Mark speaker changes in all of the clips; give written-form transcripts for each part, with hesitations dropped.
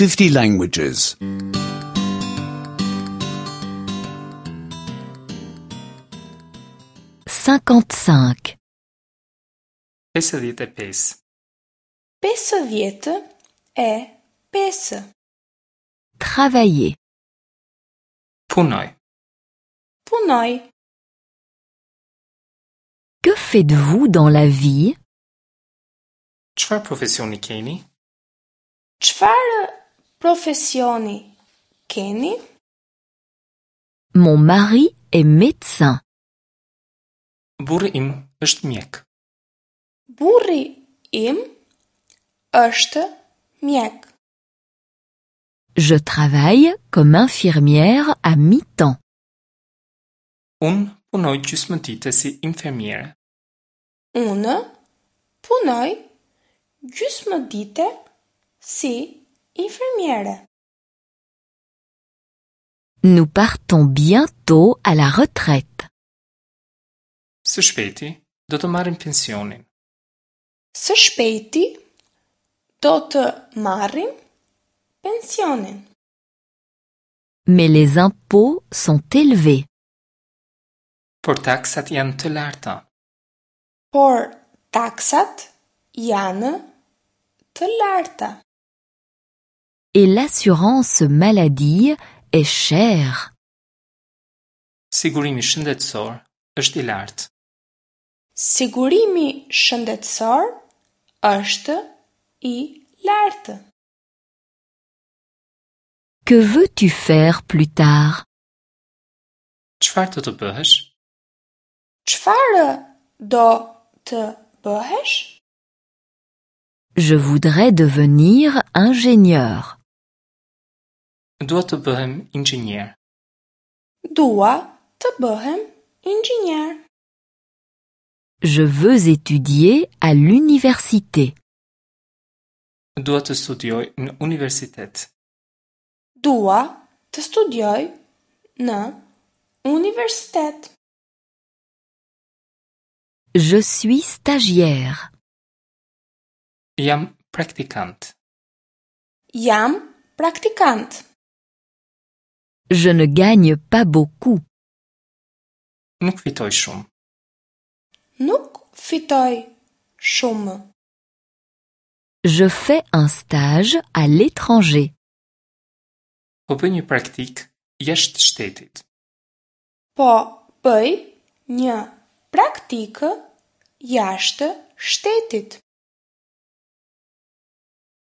Speaker 1: 50 languages.
Speaker 2: 55.
Speaker 3: 55.
Speaker 4: 55.
Speaker 2: Travailler.
Speaker 3: Punoj.
Speaker 4: Punoj.
Speaker 2: Que faites-vous dans la vie?
Speaker 3: Çfarë profesioni keni?
Speaker 4: Çfarë profesioni keni?
Speaker 2: Mon mari est médecin.
Speaker 3: Burri im është mjek.
Speaker 4: Burri im është mjek.
Speaker 2: Je travaille comme infirmière à mi-temps.
Speaker 3: Unë punoj gjysmë dite si infermiere.
Speaker 4: Unë punoj gjysmë dite si infermiere.
Speaker 2: Nous partons bientôt à la retraite.
Speaker 3: Së shpejti do të marrim pensionin.
Speaker 4: Së shpejti do të marrim pensionin.
Speaker 2: Mais les impôts sont élevés.
Speaker 3: Por taksat janë të larta.
Speaker 4: Por taksat janë të larta.
Speaker 2: Et l'assurance maladie est chère.
Speaker 3: Sigurimi shëndetësor është i lartë.
Speaker 4: Sigurimi shëndetësor është i lartë.
Speaker 2: Que veux-tu faire plus tard?
Speaker 3: Çfarë do të bëhesh?
Speaker 4: Çfarë do të bëhesh?
Speaker 2: Je voudrais devenir ingénieur.
Speaker 3: Dua të bëhem inxhinier.
Speaker 4: Dua të bëhem inxhinier.
Speaker 2: Je veux étudier à l'université.
Speaker 3: Dua të studioj në universitet.
Speaker 4: Dua të studioj në universitet.
Speaker 2: Je suis stagiaire.
Speaker 3: Jam praktikant.
Speaker 4: Jam praktikant.
Speaker 2: Je ne gagne pas beaucoup.
Speaker 3: Nuk fitoj shumë.
Speaker 4: Nuk fitoj shumë.
Speaker 2: Je fais un stage à l'étranger.
Speaker 3: Po bëj një praktikë jashtë shtetit.
Speaker 4: Po bëj një praktikë jashtë shtetit.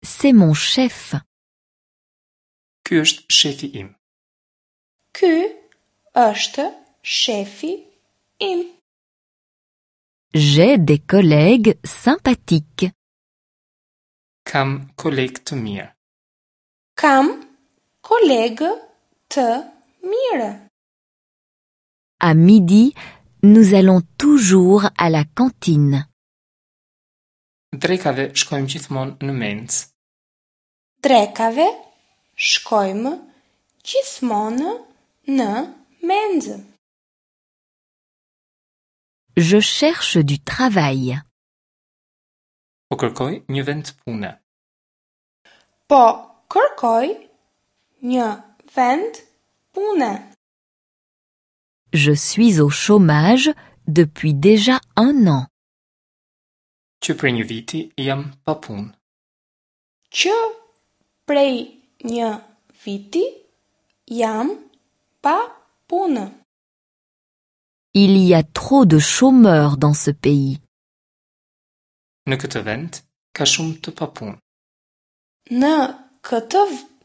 Speaker 2: C'est mon chef.
Speaker 3: Ky është shefi im.
Speaker 4: Ky është shefi im.
Speaker 2: J'ai des collègues sympathiques.
Speaker 3: Kam kolegë të mirë.
Speaker 4: Kam kolegë të mirë.
Speaker 2: À midi, nous allons toujours à la cantine.
Speaker 3: Drekave shkojmë gjithmonë në mencë.
Speaker 4: Drekave shkojmë gjithmonë në menzë.
Speaker 2: Je cherche du travail.
Speaker 3: Po kërkoj një vend pune.
Speaker 4: Po kërkoj një vend pune.
Speaker 2: Je suis au chômage depuis déjà un an.
Speaker 3: Që prej një viti jam pa punë.
Speaker 4: Që prej një viti jam pa punë.
Speaker 2: Il y a trop de chômeurs dans ce pays.
Speaker 3: Në këtë vend ka shumë të papunë.
Speaker 4: Në këtë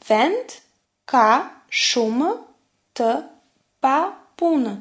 Speaker 4: vend ka shumë të papunë.